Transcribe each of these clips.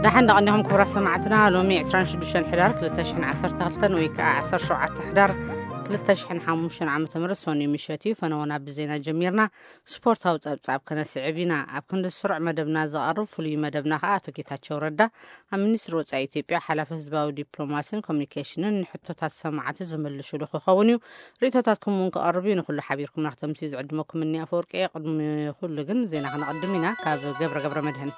ደሓን ደቐኒኹም ክቡራት ሰማዕትና። ሎሚ ዕስራን ሽዱሽተን ሕዳር ክልተ ሽሕን ዓሰርተ ክልተን ወይ ከዓ ዓሰርተ ሸውዓተ ሕዳር ክልተ ሽሕን ሓሙሽተን ዓመተ ምህረት ሰኑይ ምሸት እዩ። ፈነወና ብዜና ጀሚርና። ስፖርታዊ ጸብጻብ ከነስዕብ ኢና። ኣብ ክንዲ ስሩዕ መደብና ዝቐርብ ፍሉይ መደብና ከዓ ኣቶ ጌታቸው ረዳ ኣብ ሚኒስትሪ ወጻኢ ኢትዮጵያ ሓላፊ ህዝባዊ ዲፕሎማሲን ኮሚኒኬሽንን ንሕቶታት ሰማዕቲ ዝምልሽሉ ክኸውን እዩ። ርእይቶታትኩም እውን ክቐርብ እዩ። ንኹሉ ሓቢርኩምና ክተምስዩ ዝዕድመኩም እኒ ኣፈወርቂ እየ። ቅድሚ ኩሉ ግን ዜና ክነቐድም ኢና። ካብ ገብረ ገብረ መድህን።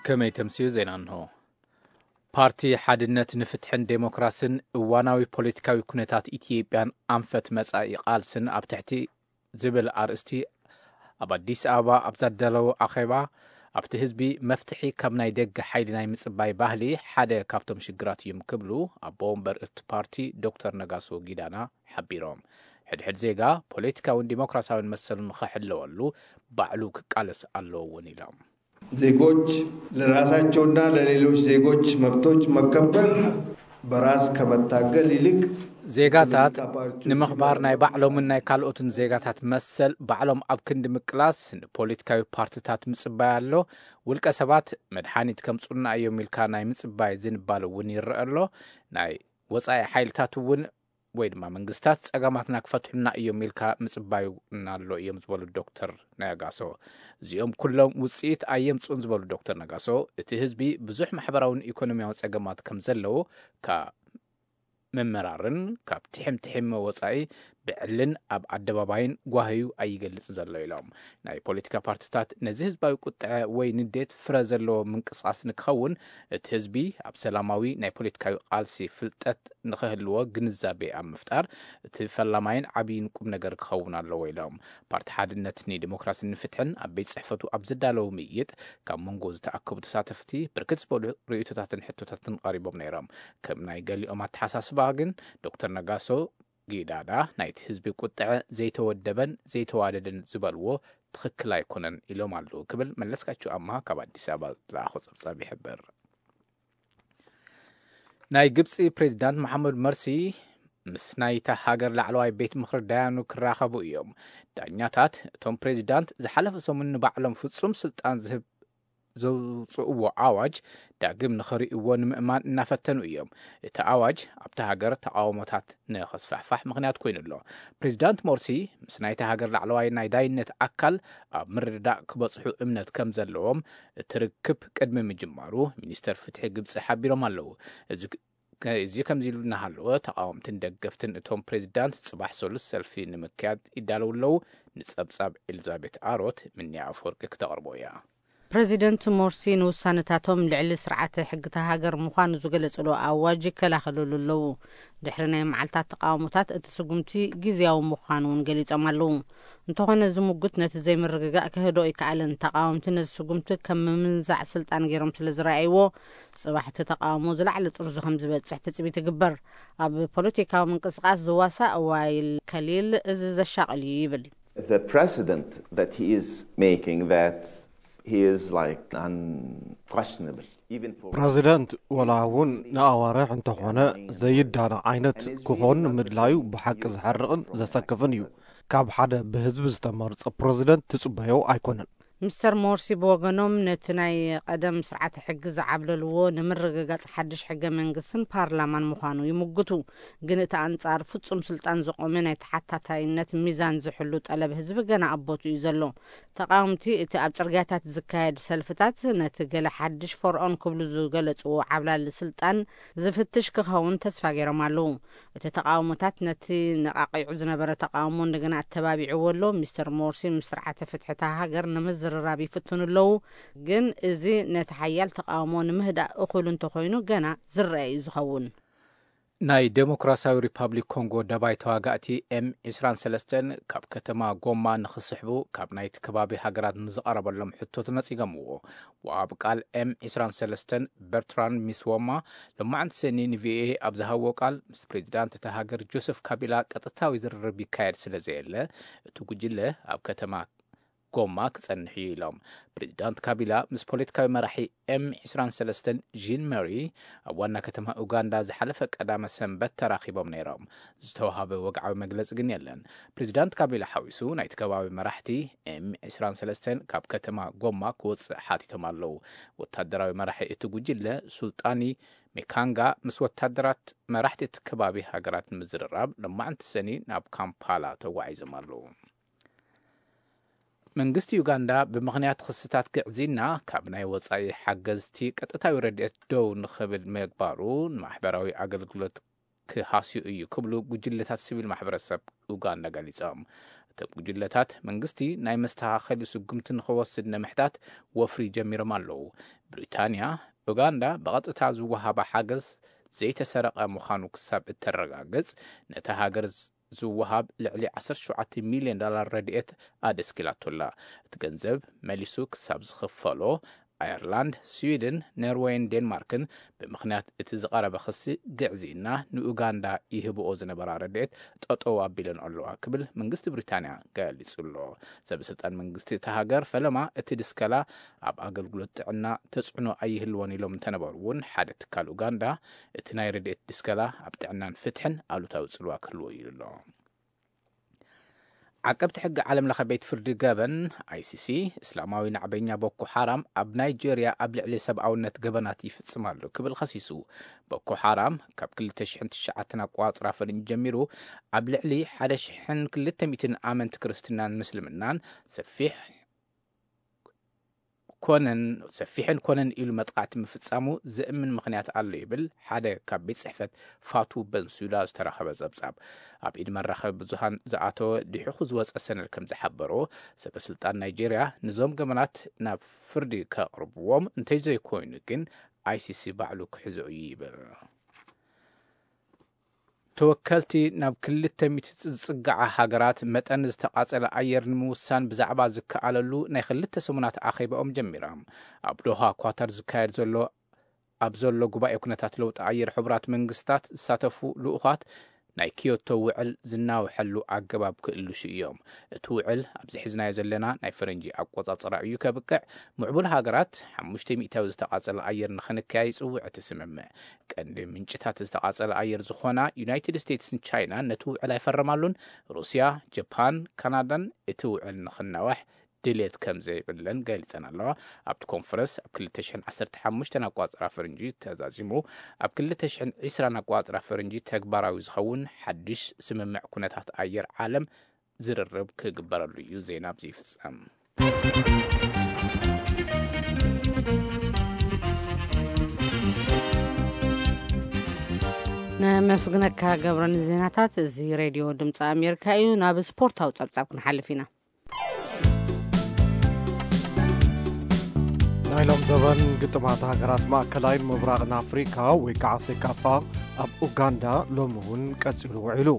ከመይ ተምስዩ ዜና እንሆ። ፓርቲ ሓድነት ንፍትሕን ዴሞክራስን እዋናዊ ፖለቲካዊ ኩነታት ኢትዮጵያን ኣንፈት መጻኢ ቃልስን ኣብ ትሕቲ ዝብል ኣርእስቲ ኣብ ኣዲስ ኣበባ ኣብ ዘዳለዎ ኣኼባ፣ ኣብቲ ህዝቢ መፍትሒ ካብ ናይ ደገ ሓይሊ ናይ ምጽባይ ባህሊ ሓደ ካብቶም ሽግራት እዮም ክብሉ ኣቦ ወንበር እቲ ፓርቲ ዶክተር ነጋሶ ጊዳና ሓቢሮም። ሕድሕድ ዜጋ ፖለቲካውን ዲሞክራሲያውን መሰሉ ንኽሕለወሉ ባዕሉ ክቃለስ ኣለዎ እውን ኢሎም። ዜጎች ለራሳቸውና ለሌሎች ዜጎች መብቶች መከበር በራስ ከመታገል ይልቅ ዜጋታት ንምኽባር ናይ ባዕሎምን ናይ ካልኦትን ዜጋታት መሰል ባዕሎም ኣብ ክንዲ ምቅላስ ንፖለቲካዊ ፓርቲታት ምጽባይ ኣሎ። ውልቀ ሰባት መድሓኒት ከምጹልና እዮም ኢልካ ናይ ምጽባይ ዝንባል እውን ይረአ ኣሎ። ናይ ወጻኢ ሓይልታት እውን ወይ ድማ መንግስታት ጸገማትና ክፈትሑና እዮም ኢልካ ምጽባይ እውን ኣሎ እዮም ዝበሉ ዶክተር ነጋሶ። እዚኦም ኩሎም ውጽኢት ኣየምጽኡን ዝበሉ ዶክተር ነጋሶ፣ እቲ ህዝቢ ብዙሕ ማሕበራውን ኢኮኖሚያውን ጸገማት ከም ዘለዎ ካብ ምምራርን ካብ ትሕም ትሕም ወጻኢ ብዕልን ኣብ ኣደባባይን ጓህዩ ኣይገልጽን ዘሎ ኢሎም። ናይ ፖለቲካ ፓርቲታት ነዚ ህዝባዊ ቁጥዐ ወይ ንዴት ፍረ ዘለዎ ምንቅስቓስ ንክኸውን እቲ ህዝቢ ኣብ ሰላማዊ ናይ ፖለቲካዊ ቃልሲ ፍልጠት ንክህልዎ ግንዛቤ ኣብ ምፍጣር እቲ ፈላማይን ዓብይን ቁም ነገር ክኸውን ኣለዎ ኢሎም። ፓርቲ ሓድነት ንዲሞክራሲን ንፍትሕን ኣብ ቤት ጽሕፈቱ ኣብ ዘዳለዉ ምይይጥ ካብ መንጎ ዝተኣከቡ ተሳተፍቲ ብርክት ዝበሉ ርእይቶታትን ሕቶታትን ቀሪቦም ነይሮም። ከም ናይ ገሊኦም ኣተሓሳስባ ግን ዶክተር ነጋሶ ጊዳዳ ናይቲ ህዝቢ ቁጥዐ ዘይተወደበን ዘይተዋደደን ዝበልዎ ትኽክል ኣይኮነን ኢሎም ኣለዉ ክብል መለስካቸው ኣምሃ ካብ ኣዲስ ኣበባ ዝለኣኾ ጸብጻብ ይሕብር። ናይ ግብጺ ፕሬዚዳንት መሓመድ መርሲ ምስ ናይታ ሃገር ላዕለዋይ ቤት ምኽሪ ዳያኑ ክራኸቡ እዮም። ዳኛታት እቶም ፕሬዚዳንት ዝሓለፈ ሰሙን ንባዕሎም ፍጹም ስልጣን ዝህብ ዘውፅእዎ ኣዋጅ ዳግም ንኽርእይዎ ንምእማን እናፈተኑ እዮም። እቲ ኣዋጅ ኣብቲ ሃገር ተቃውሞታት ንኸስፋሕፋሕ ምኽንያት ኮይኑ ኣሎ። ፕሬዚዳንት ሞርሲ ምስ ናይቲ ሃገር ላዕለዋይ ናይ ዳይነት ኣካል ኣብ ምርድዳእ ክበፅሑ እምነት ከም ዘለዎም እቲ ርክብ ቅድሚ ምጅማሩ ሚኒስተር ፍትሒ ግብፂ ሓቢሮም ኣለዉ። እዚ እዚ ከምዚ ኢሉ እናሃለወ ተቃወምትን ደገፍትን እቶም ፕሬዚዳንት ፅባሕ ሰሉስ ሰልፊ ንምክያድ ይዳለዉ ኣለዉ። ንፀብፃብ ኤልዛቤት ኣሮት ምንያ ኣፈወርቂ ክተቕርቦ እያ። ፕሬዚደንት ሞርሲ ንውሳነታቶም ልዕሊ ስርዓተ ሕግታ ሃገር ምዃኑ ዝገለጽሉ ኣዋጅ ይከላኸልሉ ኣለዉ። ድሕሪ ናይ መዓልታት ተቃውሞታት እቲ ስጉምቲ ግዝያዊ ምዃኑ እውን ገሊጾም ኣለዉ። እንተኾነ እዚ ምጉት ነቲ ዘይምርግጋእ ክህዶ ኣይከኣለን። ተቃወምቲ ነዚ ስጉምቲ ከም ምምንዛዕ ስልጣን ገይሮም ስለ ዝረኣይዎ፣ ጽባሕ እቲ ተቃውሞ ዝለዓለ ጥርዙ ከም ዝበጽሕ ትጽቢት ይግበር። ኣብ ፖለቲካዊ ምንቅስቃስ ዝዋሳእ ዋይል ከሊል እዚ ዘሻቕል እዩ ይብል። The precedent that he is making, that he is like unquestionable, even for ፕረዚደንት ወላ እውን ንኣዋርሕ እንተኾነ ዘይዳነ ዓይነት ክኾን ምድላዩ ብሓቂ ዘሕርቕን ዘሰክፍን እዩ። ካብ ሓደ ብህዝቢ ዝተመርጸ ፕረዚደንት ትጽበዮ ኣይኮነን። ሚስተር ሞርሲ ብወገኖም ነቲ ናይ ቀደም ስርዓተ ሕጊ ዝዓብለልዎ ንምርግጋጽ ሓድሽ ሕገ መንግስትን ፓርላማን ምዃኑ ይምጉቱ። ግን እቲ ኣንጻር ፍጹም ስልጣን ዝቆመ ናይ ተሓታታይነት ሚዛን ዝሕሉ ጠለብ ህዝቢ ገና ኣብ ቦትኡ እዩ ዘሎ። ተቃወምቲ እቲ ኣብ ጽርግያታት ዝካየድ ሰልፍታት ነቲ ገለ ሓድሽ ፈርዖን ክብሉ ዝገለጽዎ ዓብላሊ ስልጣን ዝፍትሽ ክኸውን ተስፋ ገይሮም ኣለዉ። እቲ ተቃውሞታት ነቲ ነቃቂዑ ዝነበረ ተቃውሞ እንደገና ኣተባቢዕዎ ኣሎ። ሚስተር ሞርሲ ምስ ስርዓተ ፍትሒ እታ ሃገር ንምዝርራብ ይፍትኑ ኣለዉ፣ ግን እዚ ነቲ ሓያል ተቃውሞ ንምህዳእ እኹል እንተኾይኑ ገና ዝረአ እዩ ዝኸውን። ናይ ዴሞክራሲያዊ ሪፓብሊክ ኮንጎ ደባይ ተዋጋእቲ ኤም ዕስራን ሰለስተን ካብ ከተማ ጎማ ንኽስሕቡ ካብ ናይቲ ከባቢ ሃገራት ንዝቐረበሎም ሕቶ ተነጺጎምዎ። ወሃቢ ቃል ኤም ዕስራን ሰለስተን በርትራንድ ሚስዎማ ሎማዕንቲ ሰኒ ንቪኦኤ ኣብ ዝሃብዎ ቃል፣ ምስ ፕሬዚዳንት እታ ሃገር ጆሰፍ ካቢላ ቀጥታዊ ዝርርብ ይካየድ ስለ ዘየለ፣ እቲ ጉጅለ ኣብ ከተማ ጎማ ክጸንሕ እዩ ኢሎም። ፕሬዚዳንት ካቢላ ምስ ፖለቲካዊ መራሒ ኤም ዕስራን ሰለስተን ጂን መሪ ኣብ ዋና ከተማ ኡጋንዳ ዝሓለፈ ቀዳመ ሰንበት ተራኺቦም ነይሮም። ዝተዋሃበ ወግዓዊ መግለጺ ግን የለን። ፕሬዚዳንት ካቢላ ሓዊሱ ናይቲ ከባቢ መራሕቲ ኤም ዕስራን ሰለስተን ካብ ከተማ ጎማ ክወጽእ ሓቲቶም ኣለዉ። ወታደራዊ መራሒ እቲ ጉጅለ ሱልጣኒ ሜካንጋ ምስ ወታደራት መራሕቲ እቲ ከባቢ ሃገራት ንምዝርራብ ሎማዕንቲ ሰኒ ናብ ካምፓላ ተጓዒዞም ኣለዉ። መንግስቲ ዩጋንዳ ብምኽንያት ክስታት ግዕዝይና ካብ ናይ ወጻኢ ሓገዝቲ ቀጥታዊ ረድኤት ደው ንኽብል ምግባሩ ንማሕበራዊ ኣገልግሎት ክሃስዩ እዩ ክብሉ ጉጅለታት ሲቪል ማሕበረሰብ ኡጋንዳ ገሊጾም። እቶም ጉጅለታት መንግስቲ ናይ መስተኻኸሊ ስጉምቲ ንኽወስድ ንምሕታት ወፍሪ ጀሚሮም ኣለዉ። ብሪታንያ ኡጋንዳ ብቐጥታ ዝወሃባ ሓገዝ ዘይተሰረቐ ምዃኑ ክሳብ እተረጋግጽ ነታ ሃገር ዝወሃብ ልዕሊ ዓሰርተ ሸውዓተ ሚልዮን ዶላር ረድኤት ኣደስኪላቶላ። እቲ ገንዘብ መሊሱ ክሳብ ዝኽፈሎ ኣየርላንድ፣ ስዊድን፣ ኖርወይን ዴንማርክን ብምኽንያት እቲ ዝቐረበ ክሲ ግዕዝይና ንኡጋንዳ ይህብኦ ዝነበራ ረድኤት ጠጠው ኣቢለን ኣለዋ ክብል መንግስቲ ብሪታንያ ገሊጹ ኣሎ። ሰበስልጣን መንግስቲ እታ ሃገር ፈለማ እቲ ድስከላ ኣብ ኣገልግሎት ጥዕና ተጽዕኖ ኣይህልዎን ኢሎም እንተነበሩ እውን ሓደ ትካል ኡጋንዳ እቲ ናይ ረድኤት ድስከላ ኣብ ጥዕናን ፍትሕን ኣሉታዊ ጽልዋ ክህልዎ እዩ ኣሎ። ዓቀብቲ ሕጊ ዓለም ለኸ ቤት ፍርዲ ገበን ኣይሲሲ እስላማዊ ናዕበኛ ቦኮ ሓራም ኣብ ናይጄርያ ኣብ ልዕሊ ሰብኣውነት ገበናት ይፍጽም ኣሎ ክብል ኸሲሱ። ቦኮ ሓራም ካብ ክልተ ሽሕን ትሽዓተን ኣቋጽራ ፈረንጂ ጀሚሩ ኣብ ልዕሊ ሓደ ሽሕን ክልተ ሚእትን ኣመንቲ ክርስትናን ምስልምናን ሰፊሕ ኮነን ሰፊሕን ኮነን ኢሉ መጥቃዕቲ ምፍጻሙ ዘእምን ምኽንያት ኣሎ ይብል ሓደ ካብ ቤት ጽሕፈት ፋቱ በንሱዳ ዝተረኸበ ጸብጻብ። ኣብ ኢድ መራኸቢ ብዙሃን ዝኣተወ ድሒኹ ዝወጸ ሰነድ ከም ዝሓበሮ፣ ሰበ ስልጣን ናይጄርያ ንዞም ገበናት ናብ ፍርዲ ከቕርብዎም እንተዘይኮይኑ ግን ኣይሲሲ ባዕሉ ክሕዞ እዩ ይብል። ተወከልቲ ናብ ክልተ ሚእቲ ዝጽግዓ ሃገራት መጠን ዝተቓጸለ ኣየር ንምውሳን ብዛዕባ ዝከኣለሉ ናይ ክልተ ሰሙናት ኣኼባኦም ጀሚሮም። ኣብ ዶሃ ኳታር ዝካየድ ዘሎ ኣብ ዘሎ ጉባኤ ኩነታት ለውጢ ኣየር ሕቡራት መንግስታት ዝሳተፉ ልኡኻት ናይ ኪዮቶ ውዕል ዝናውሐሉ ኣገባብ ክእልሹ እዮም። እቲ ውዕል ኣብዚ ሒዝናዮ ዘለና ናይ ፈረንጂ ኣቆጻጽራ እዩ ከብቅዕ። ምዕቡል ሃገራት ሓሙሽተ ሚእታዊ ዝተቓጸለ ኣየር ንኽንከያ ይጽውዕ እቲ ስምምዕ። ቀንዲ ምንጭታት ዝተቓጸለ ኣየር ዝኾና ዩናይትድ ስቴትስን ቻይናን ነቲ ውዕል ኣይፈረማሉን። ሩስያ፣ ጀፓን፣ ካናዳን እቲ ውዕል ንኽናዋሕ ድሌት ከም ዘይብለን ገሊጸን ኣለዋ። ኣብቲ ኮንፈረንስ ኣብ ክልተ ሽሕን ዓሰርተ ሓሙሽተን ኣቋጽራ ፈረንጂ ተዛዚሙ፣ ኣብ ክልተ ሽሕን ዕስራን ኣቋጽራ ፈረንጂ ተግባራዊ ዝኸውን ሓድሽ ስምምዕ ኩነታት ኣየር ዓለም ዝርርብ ክግበረሉ እዩ። ዜና ኣብዚ ይፍጸም። ነመስግነካ ገብረ ንዜናታት። እዚ ሬድዮ ድምፂ ኣሜሪካ እዩ። ናብ ስፖርታዊ ጸብጻብ ክንሓልፍ ኢና። ናይ ሎም ዘበን ግጥማት ሃገራት ማእከላይን ምብራቕን ኣፍሪካ ወይ ከዓ ሴካፋ ኣብ ኡጋንዳ ሎሚ እውን ቀጺሉ ውዒሉ።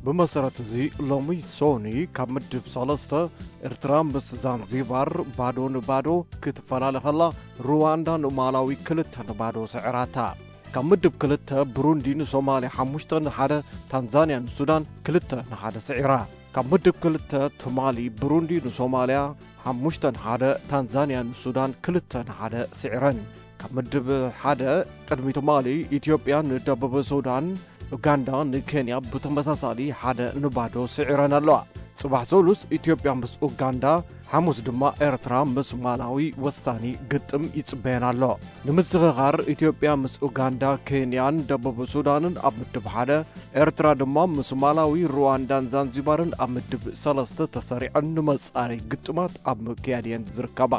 ብመሰረት እዚ ሎሚ ሶኒ ካብ ምድብ ሰለስተ ኤርትራ ምስ ዛንዚባር ባዶ ንባዶ ክትፈላለ ከላ፣ ሩዋንዳ ንማላዊ ክልተ ንባዶ ስዕራታ። ካብ ምድብ ክልተ ብሩንዲ ንሶማልያ ሓሙሽተ ንሓደ፣ ታንዛንያ ንሱዳን ክልተ ንሓደ ስዒራ። ካብ ምድብ ክልተ ትማሊ ብሩንዲ ንሶማልያ ሓሙሽተ ንሓደ፣ ታንዛንያ ንሱዳን ክልተ ንሓደ ስዒረን። ካብ ምድብ ሓደ ቅድሚ ትማሊ ኢትዮጵያ ንደቡብ ሱዳን፣ ኡጋንዳ ንኬንያ ብተመሳሳሊ ሓደ ንባዶ ስዒረን ኣለዋ። ጽባሕ ሰሉስ ኢትዮጵያ ምስ ኡጋንዳ፣ ሓሙስ ድማ ኤርትራ ምስ ማላዊ ወሳኒ ግጥም ይጽበየን ኣሎ። ንምዝኽኻር ኢትዮጵያ ምስ ኡጋንዳ፣ ኬንያን ደቡብ ሱዳንን ኣብ ምድብ ሓደ፣ ኤርትራ ድማ ምስ ማላዊ፣ ሩዋንዳን ዛንዚባርን ኣብ ምድብ ሰለስተ ተሰሪዐን ንመጻረይ ግጥማት ኣብ ምክያድ እየን ዝርከባ።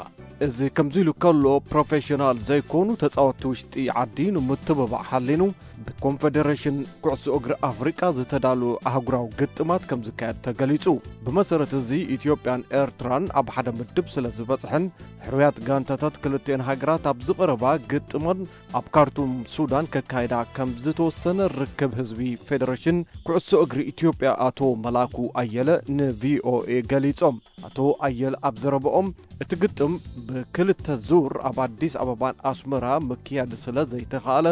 እዚ ከምዚ ኢሉ ከሎ፣ ፕሮፌሽናል ዘይኮኑ ተጻወትቲ ውሽጢ ዓዲ ንምትብባዕ ሓሊኑ፣ ብኮንፈደሬሽን ኩዕሶ እግሪ ኣፍሪቃ ዝተዳለወ ኣህጉራዊ ግጥማት ከም ዝካየድ ተገሊጹ። ብመሰረት እዚ፣ ኢትዮጵያን ኤርትራን ኣብ ሓደ ምድብ ስለ ዝበጽሐን፣ ሕሩያት ጋንታታት ክልቲኤን ሃገራት ኣብ ዝቐረባ ግጥመን ኣብ ካርቱም ሱዳን ከካይዳ ከም ዝተወሰነ ርክብ ህዝቢ ፌደሬሽን ኩዕሶ እግሪ ኢትዮጵያ ኣቶ መላኩ ኣየለ ንቪኦኤ ገሊጾም። ኣቶ ኣየለ ኣብ ዘረበኦም፣ እቲ ግጥም ብክልተ ዙር ኣብ ኣዲስ ኣበባን ኣስመራ ምክያድ ስለ ዘይተኻእለ፣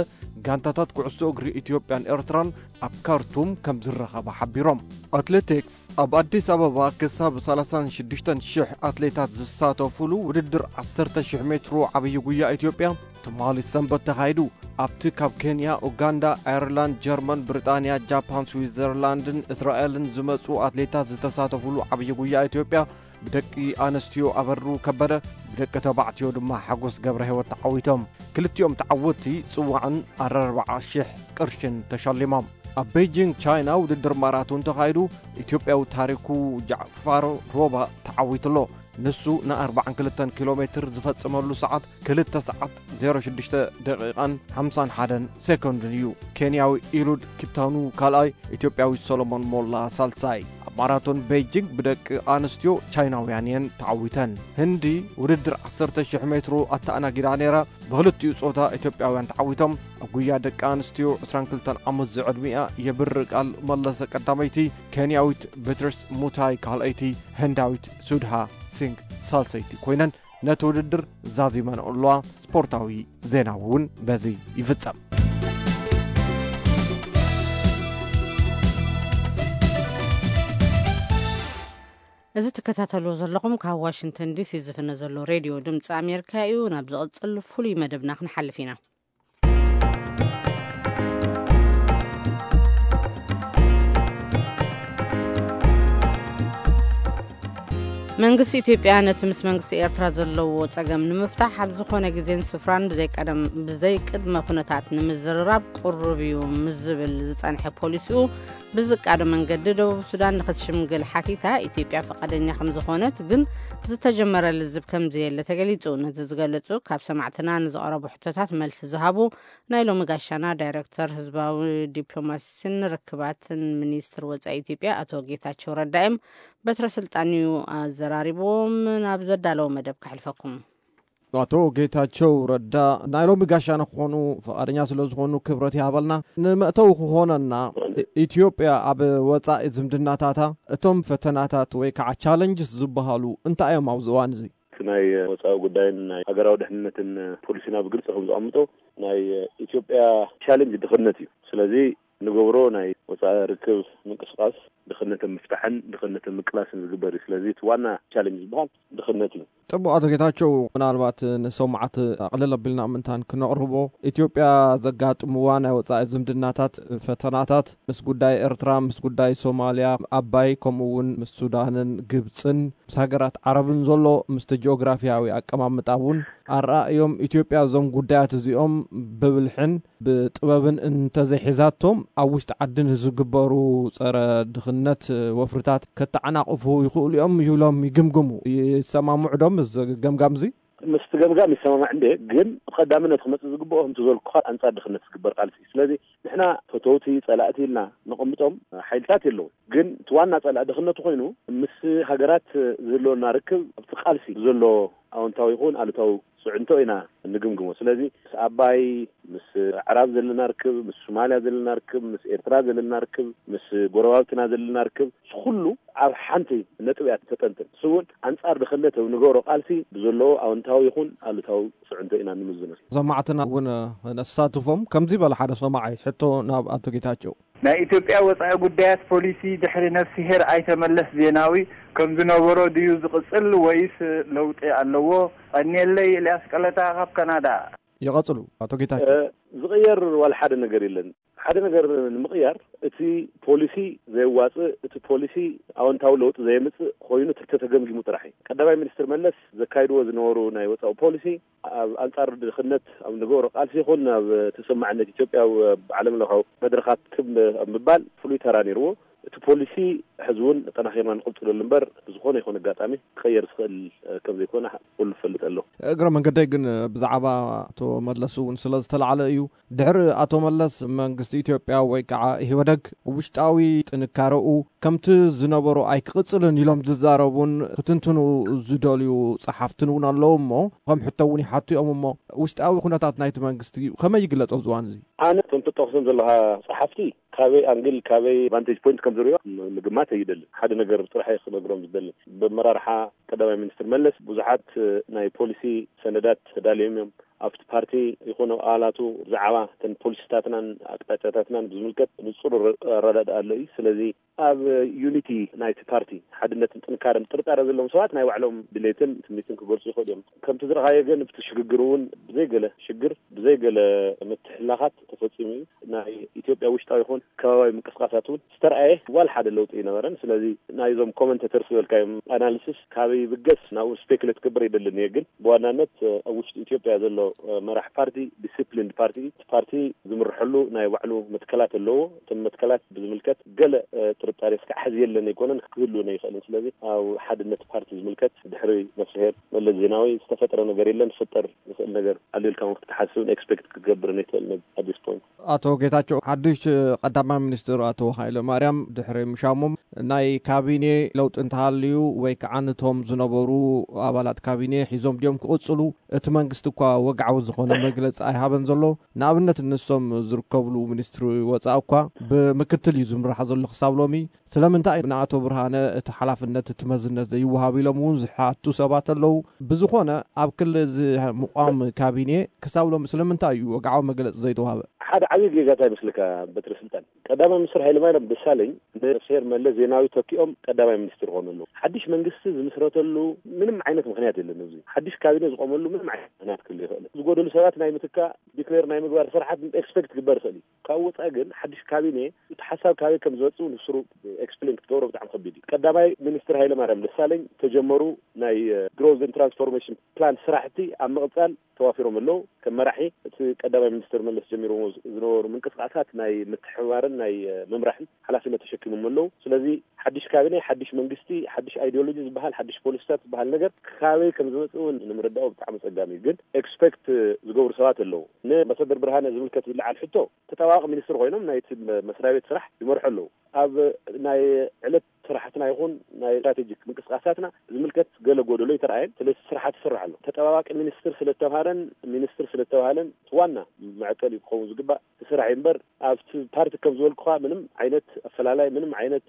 ጋንታታት ኩዕሶ እግሪ ኢትዮጵያን ኤርትራን ኣብ ካርቱም ከም ዝረኸባ ሓቢሮም። ኣትሌቲክስ፣ ኣብ ኣዲስ ኣበባ ክሳብ ሰላሳን ሽዱሽተን ሽሕ ኣትሌታት ዝሳተፉሉ ውድድር ዓሰርተ ሽሕ ሜትሮ ዓብዪ ጉያ ኢትዮጵያ ትማሊ ሰንበት ተኻይዱ። ኣብቲ ካብ ኬንያ፣ ኡጋንዳ፣ ኣየርላንድ፣ ጀርመን፣ ብሪጣንያ፣ ጃፓን፣ ስዊዘርላንድን እስራኤልን ዝመጹ ኣትሌታት ዝተሳተፉሉ ዓብዪ ጉያ ኢትዮጵያ ብደቂ ኣንስትዮ ኣበሩ ከበደ፣ ብደቂ ተባዕትዮ ድማ ሓጎስ ገብረ ህይወት ተዓዊቶም። ክልቲኦም ተዓወትቲ ጽዋዕን ኣርባዓ ሽሕ ቅርሽን ተሸሊሞም። ኣብ ቤጂንግ ቻይና ውድድር ማራቶን ተኻይዱ። ኢትዮጵያዊ ታሪኩ ጃዕፋር ሮባ ተዓዊትሎ። ንሱ ን ኣርባዓን ክልተን ኪሎ ሜትር ዝፈጸመሉ ሰዓት ክልተ ሰዓት ዜሮ ሽዱሽተ ደቂቓን ሓምሳን ሓደን ሴኮንድን እዩ። ኬንያዊ ኢሉድ ኪፕታኑ ካልኣይ፣ ኢትዮጵያዊ ሰሎሞን ሞላ ሳልሳይ። ኣብ ማራቶን ቤጂንግ ብደቂ ኣንስትዮ ቻይናውያን እየን ተዓዊተን። ህንዲ ውድድር ዓሰርተ ሽሕ ሜትሮ ኣተኣናጊዳ ነይራ። ብኽልቲኡ ጾታ ኢትዮጵያውያን ተዓዊቶም። ኣብ ጉያ ደቂ ኣንስትዮ ዕስራን ክልተን ዓመት ዝዕድሚኣ የብር ቃል መለሰ ቀዳመይቲ፣ ኬንያዊት ቤትርስ ሙታይ ካልኣይቲ፣ ህንዳዊት ሱድሃ ሲንግ ሳልሰይቲ ኮይነን ነቲ ውድድር ዛዚመን ኣለዋ። ስፖርታዊ ዜና እውን በዚ ይፍጸም። እዚ ትከታተልዎ ዘለኹም ካብ ዋሽንግተን ዲሲ ዝፍነ ዘሎ ሬድዮ ድምፂ ኣሜሪካ እዩ። ናብ ዝቕጽል ፍሉይ መደብና ክንሓልፍ ኢና። መንግስቲ ኢትዮጵያ ነቲ ምስ መንግስቲ ኤርትራ ዘለዎ ጸገም ንምፍታሕ ኣብ ዝኾነ ግዜን ስፍራን ብዘይ ቀደም፣ ብዘይ ቅድመ ኩነታት ንምዝርራብ ቅሩብ እዩ ምስ ዝብል ዝጸንሐ ፖሊሲኡ ብዝቃዶ መንገዲ ደቡብ ሱዳን ንኽትሽምግል ሓቲታ፣ ኢትዮጵያ ፈቓደኛ ከም ዝኾነት ግን ዝተጀመረ ልዝብ ከም ዘየለ ተገሊጹ። ነዚ ዝገለጹ ካብ ሰማዕትና ንዝቐረቡ ሕቶታት መልሲ ዝሃቡ ናይ ሎሚ ጋሻና ዳይሬክተር ህዝባዊ ዲፕሎማሲን ርክባትን ሚኒስትር ወጻኢ ኢትዮጵያ ኣቶ ጌታቸው ረዳ እዮም። በትረ ስልጣን እዩ ኣዘራሪብዎም። ናብ ዘዳለዎ መደብ ከሕልፈኩም። ኣቶ ጌታቸው ረዳ ናይ ሎሚ ጋሻና ክኾኑ ፈቓደኛ ስለ ዝኾኑ ክብረት ይሃበልና። ንመእተዊ ክኾነና፣ ኢትዮጵያ ኣብ ወጻኢ ዝምድናታታ እቶም ፈተናታት ወይ ከዓ ቻለንጅስ ዝበሃሉ እንታይ እዮም ኣብዚ እዋን እዚ? እቲ ናይ ወጻኢ ጉዳይን ናይ ሃገራዊ ድሕንነትን ፖሊሲና ብግልጺ ከም ዘቐምጦ፣ ናይ ኢትዮጵያ ቻለንጅ ድኽነት እዩ። ስለዚ ንገብሮ ናይ ወጻኢ ርክብ ምንቅስቃስ ድኽነትን ምፍታሕን ድኽነትን ምቅላስን ዝግበር እዩ። ስለዚ እቲ ዋና ቻለንጅ ዝበሃል ድኽነት እዩ። ጽቡቕ ኣቶ ጌታቸው፣ ምናልባት ንሰማዕቲ ኣቕልል ኣቢልና ምእንታን ክነቕርቦ፣ ኢትዮጵያ ዘጋጥምዋ ናይ ወጻኢ ዝምድናታት ፈተናታት ምስ ጉዳይ ኤርትራ፣ ምስ ጉዳይ ሶማልያ፣ ኣባይ፣ ከምኡ እውን ምስ ሱዳንን ግብጽን ምስ ሃገራት ዓረብን ዘሎ ምስቲ ጂኦግራፊያዊ ኣቀማምጣ እውን ኣረኣእዮም ኢትዮጵያ እዞም ጉዳያት እዚኦም ብብልሕን ብጥበብን እንተዘይሒዛቶም ኣብ ውሽጢ ዓዲ ንዝግበሩ ጸረ ድኽነት ወፍርታት ከተዓናቕፉ ይኽእሉ እዮም ይብሎም ይግምግሙ። ይሰማምዑ ዶ ምስ ገምጋም እዚ? ምስቲ ገምጋም ይሰማማዕ እንደ፣ ግን ብቐዳምነት ክመጽእ ዝግብኦ ከምቲ ዘልኩኻ ኣንጻር ድኽነት ዝግበር ቃልሲ እዩ። ስለዚ ንሕና ፈተውቲ ጸላእቲ ኢልና ነቐምጦም ሓይልታት የለውን። ግን እቲ ዋና ጸላኢ ድኽነቱ ኮይኑ ምስ ሃገራት ዝህልወና ርክብ ኣብቲ ቃልሲ ዘሎ ኣወንታዊ ይኹን ኣሉታዊ ጽዕንቶ ኢና እንግምግሞ። ስለዚ ምስ ኣባይ፣ ምስ ኣዕራብ ዘለና ርክብ፣ ምስ ሶማልያ ዘለና ርክብ፣ ምስ ኤርትራ ዘለና ርክብ፣ ምስ ጎረባብትና ዘለና ርክብ፣ እዚ ኩሉ ኣብ ሓንቲ ነጥቢ እያ ተጠንጥን። እሱ እውን ኣንጻር ድኽነት ኣብ ንገብሮ ቃልሲ ብዘለዎ ኣወንታዊ ይኹን ኣሉታዊ ጽዕንቶ ኢና ንምዝኖ። ሰማዕትና እውን ነሳትፎም። ከምዚ በለ ሓደ ሰማዓይ ሕቶ ናብ ኣቶ ጌታቸው። ናይ ኢትዮጵያ ወጻኢ ጉዳያት ፖሊሲ ድሕሪ ነፍስሄር ኣይተ መለስ ዜናዊ ከም ዝነበሮ ድዩ ዝቕጽል ወይስ ለውጢ ኣለዎ? ቀንየለይ፣ ኤልያስ ቀለታ ካብ ካናዳ። ይቐጽሉ ኣቶ ጌታቸው። እ፣ ዝቕየር ዋላ ሓደ ነገር የለን። ሓደ ነገር ንምቕያር እቲ ፖሊሲ ዘየዋጽእ፣ እቲ ፖሊሲ ኣወንታዊ ለውጢ ዘየምጽእ ኮይኑ ተተገምጊሙ ጥራሕ እዩ። ቀዳማይ ሚኒስትር መለስ ዘካይድዎ ዝነበሩ ናይ ወጻኢ ፖሊሲ ኣብ ኣንጻር ድኽነት ኣብ ንገብሮ ቃልሲ ይኹን ኣብ ተሰማዕነት ኢትዮጵያ ኣብ ዓለም ለኻዊ መድረኻት ክብ ኣብ ምባል ፍሉይ ተራ ነይርዎ። እቲ ፖሊሲ ሕዚ እውን ጠናኺርና ንቕጽለሉ እምበር ብዝኾነ ይኹን ኣጋጣሚ ክቐየር ዝኽእል ከም ዘይኮነ ኩሉ ዝፈልጥ ኣሎ። እግረ መንገደይ ግን ብዛዕባ ኣቶ መለስ እውን ስለ ዝተላዕለ እዩ። ድሕሪ ኣቶ መለስ መንግስቲ ኢትዮጵያ ወይ ከዓ ኢህወደግ ውሽጣዊ ጥንካረኡ ከምቲ ዝነበሮ ኣይክቕጽልን ኢሎም ዝዛረቡን ክትንትኑ ዝደልዩ ጸሓፍትን እውን ኣለዉ እሞ ከም ሕቶ እውን ይሓቱ እዮም። እሞ ውሽጣዊ ኩነታት ናይቲ መንግስቲ ከመይ ይግለጾ ኣብዚ እዋን እዚ? ኣነ እቶም ትጠቕሶም ዘለኻ ጸሓፍቲ ካበይ ኣንግል ካበይ ቫንቴጅ ፖይንት ከም ዝሪኦ ምግማት ኣይደልን። ሓደ ነገር ጥራሕ እየ ክነግሮም ዝደሊ። ብመራርሓ ቀዳማይ ሚኒስትር መለስ ብዙሓት ናይ ፖሊሲ ሰነዳት ተዳልዮም እዮም። ኣብቲ ፓርቲ ይኹን ኣብ ኣባላቱ ብዛዕባ እተን ፖሊሲታትናን ኣቅጣጫታትናን ብዝምልከት ንጹር ኣረዳድኣ ኣሎ እዩ። ስለዚ ኣብ ዩኒቲ ናይቲ ፓርቲ፣ ሓድነትን ጥንካረን ጥርጣረ ዘለዎም ሰባት ናይ ባዕሎም ድሌትን ትምኒትን ክገልጹ ይኽእሉ እዮም። ከምቲ ዝረኣኻዮ ግን፣ ኣብቲ ሽግግር እውን ብዘይገለ ሽግር፣ ብዘይገለ ምትሕልላኻት ተፈጺሙ እዩ። ናይ ኢትዮጵያ ውሽጣዊ ይኹን ከባባዊ ምንቅስቃሳት እውን ዝተረኣየ ዋላ ሓደ ለውጢ ኣይነበረን። ስለዚ ናይዞም ኮመንተተርስ ዝበልካዮም ኣናሊሲስ ካበይ ይብገስ ናብኡ ስፔክሌት ክገብር ኣይደልን እየ። ግን ብዋናነት ኣብ ውሽጢ ኢትዮጵያ ዘሎ መራሕ ፓርቲ ዲሲፕሊንድ ፓርቲ፣ እቲ ፓርቲ ዝምርሐሉ ናይ ባዕሉ መትከላት ኣለዎ። እቶም መትከላት ብዝምልከት ገለ ጥርጣሬ እስካዕ ሕዚ የለን ኣይኮነን፣ ክህልውን ኣይኽእልን። ስለዚ ኣብ ሓድነት ፓርቲ ዝምልከት ድሕሪ ነፍስሄር መለስ ዜናዊ ዝተፈጠረ ነገር የለን። ክፍጠር ዝኽእል ነገር ኣሎ ኢልካ እውን ክትሓስብን ኤክስፔክት ክትገብርን ኣይትኽእልን at this point። ኣቶ ጌታቸው፣ ሓድሽ ቀዳማይ ሚኒስትር ኣቶ ሃይለ ማርያም ድሕሪ ምሻሞም ናይ ካቢኔ ለውጢ እንተሃልዩ ወይ ከዓ ነቶም ዝነበሩ ኣባላት ካቢኔ ሒዞም ድዮም ክቕጽሉ? እቲ መንግስቲ እኳ ወግዓዊ ዝኾነ መግለጺ ኣይሃበን ዘሎ። ንኣብነት ንሶም ዝርከብሉ ሚኒስትሪ ወጻኢ እኳ ብምክትል እዩ ዝምራሕ ዘሎ ክሳብ ሎሚ። ስለምንታይ ንኣቶ ብርሃነ እቲ ሓላፍነት እቲ መዝነት ዘይወሃብ ኢሎም እውን ዝሓቱ ሰባት ኣለዉ። ብዝኾነ ኣብ ክሊ እዚ ምቋም ካቢኔ ክሳብ ሎሚ ስለምንታይ እዩ ወግዓዊ መግለጺ ዘይተዋህበ? ሓደ ዓብዪ ጌጋ እንታይ ይመስለካ በትሪ ስልጣን? ቀዳማይ ሚኒስትር ሃይለማርያም ደሳለኝ ንሴር መለስ ዜናዊ ተኪኦም ቀዳማይ ሚኒስትር ይኾኑ ኣለዉ። ሓድሽ መንግስቲ ዝምስረተሉ ምንም ዓይነት ምኽንያት የለን። እዚ ሓድሽ ካቢኔ ዝቆመሉ ምንም ዓይነት ምኽንያት ክህሉ ይኽእል። ዝጎደሉ ሰባት ናይ ምትካእ ዲክሌር ናይ ምግባር ስራሓት ኤክስፔክት ክግበር ይኽእል እዩ። ካብ ወፃኢ ግን ሓድሽ ካቢኔ እቲ ሓሳብ ካበይ ከም ዝመፅእ ንስሩ ኤክስፕሌን ክትገብሮ ብጣዕሚ ከቢድ እዩ። ቀዳማይ ሚኒስትር ሃይለማርያም ደሳለኝ ተጀመሩ ናይ ግሮዝ ትራንስፎርሜሽን ፕላን ስራሕቲ ኣብ ምቕፃል ተዋፊሮም ኣለዉ። ከም መራሒ እቲ ቀዳማይ ሚኒስትር መለስ ጀሚሮሞ ዝነበሩ ምንቅስቃሳት ናይ ምትሕብባርን ናይ ምምራሕን ሓላፍነት ተሸኪሞም ኣለዉ። ስለዚ ሓድሽ ካቢኔ፣ ሓድሽ መንግስቲ፣ ሓድሽ ኣይዲዮሎጂ ዝበሃል፣ ሓድሽ ፖሊሲታት ዝበሃል ነገር ካበይ ከም ዝመፅእ እውን ንምርዳኦ ብጣዕሚ ፀጋሚ እዩ። ግን ኤክስፔክት ዝገብሩ ሰባት ኣለዉ። ንኣምባሳደር ብርሃነ ዝምልከት ዝለዓል ሕቶ፣ ተጠባባቂ ሚኒስትር ኮይኖም ናይቲ መስሪያ ቤት ስራሕ ይመርሑ ኣለዉ። ኣብ ናይ ዕለት ስራሕትና ይኹን ናይ ስትራቴጂክ ምንቅስቃሳትና ዝምልከት ገለ ጎደሎ ይተረኣየን። ስለዚ ስራሓት ይስራሕ ኣሎ። ተጠባባቂ ሚኒስትር ስለተባሃለን ሚኒስትር ስለተባሃለን እቲ ዋና መዐቀኒ ክኸውን ዝግባእ እቲ ስራሕ እዩ እምበር፣ ኣብቲ ፓርቲ ከም ዝበልኩኻ ምንም ዓይነት ኣፈላላይ፣ ምንም ዓይነት